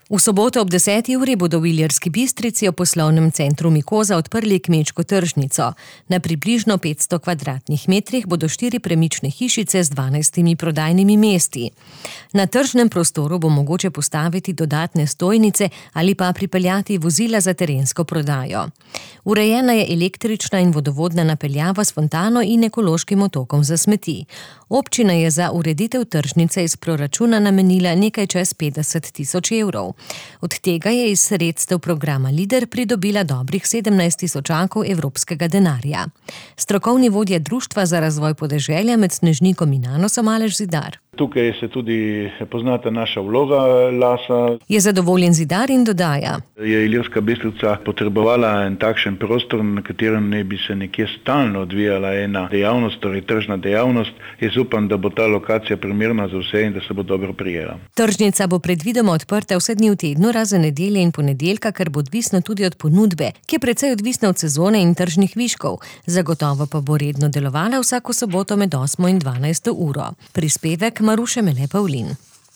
V soboto ob 10. uri bodo v Ilirski Bistrici v poslovnem centru Mikoza odprli kmečko tržnico. Na približno 500 kvadratnih metrih bodo 4 premične hišice z 12 prodajnimi mesti. Na tržnem prostoru bo mogoče postaviti dodatne stojnice ali pa pripeljati vozila za terensko prodajo. Urejena je električna in vodovodna napeljava s fontano in ekološkim otokom za smeti. Občina je za ureditev tržnice iz proračuna namenila nekaj čez 50 tisoč evrov. Od tega je iz sredstev programa LIDER pridobila dobrih 17 tisočakov evropskega denarja. Strokovni vodja Društva za razvoj podeželja med Snežnikom in Anosom Aleš Zidar. Tukaj se tudi poznata naša vloga lasa. Je zadovoljen Zidar in dodaja. Je Ilirska Bistrica potrebovala en takšen prostor, na katerem ne bi se nekje stalno odvijala ena dejavnost, torej tržna dejavnost. Jaz upam, da bo ta lokacija primerna za vse in da se bo dobro prijela. Tržnica bo predvidoma odprta vse dni v tednu, razen nedelje in ponedeljka, kar bo odvisno tudi od ponudbe, ki je precej odvisna od sezone in tržnih viškov. Zagotovo pa bo redno delovala vsako soboto med 8. in 12. uro. Prispevek Maruše Mele Pavlin.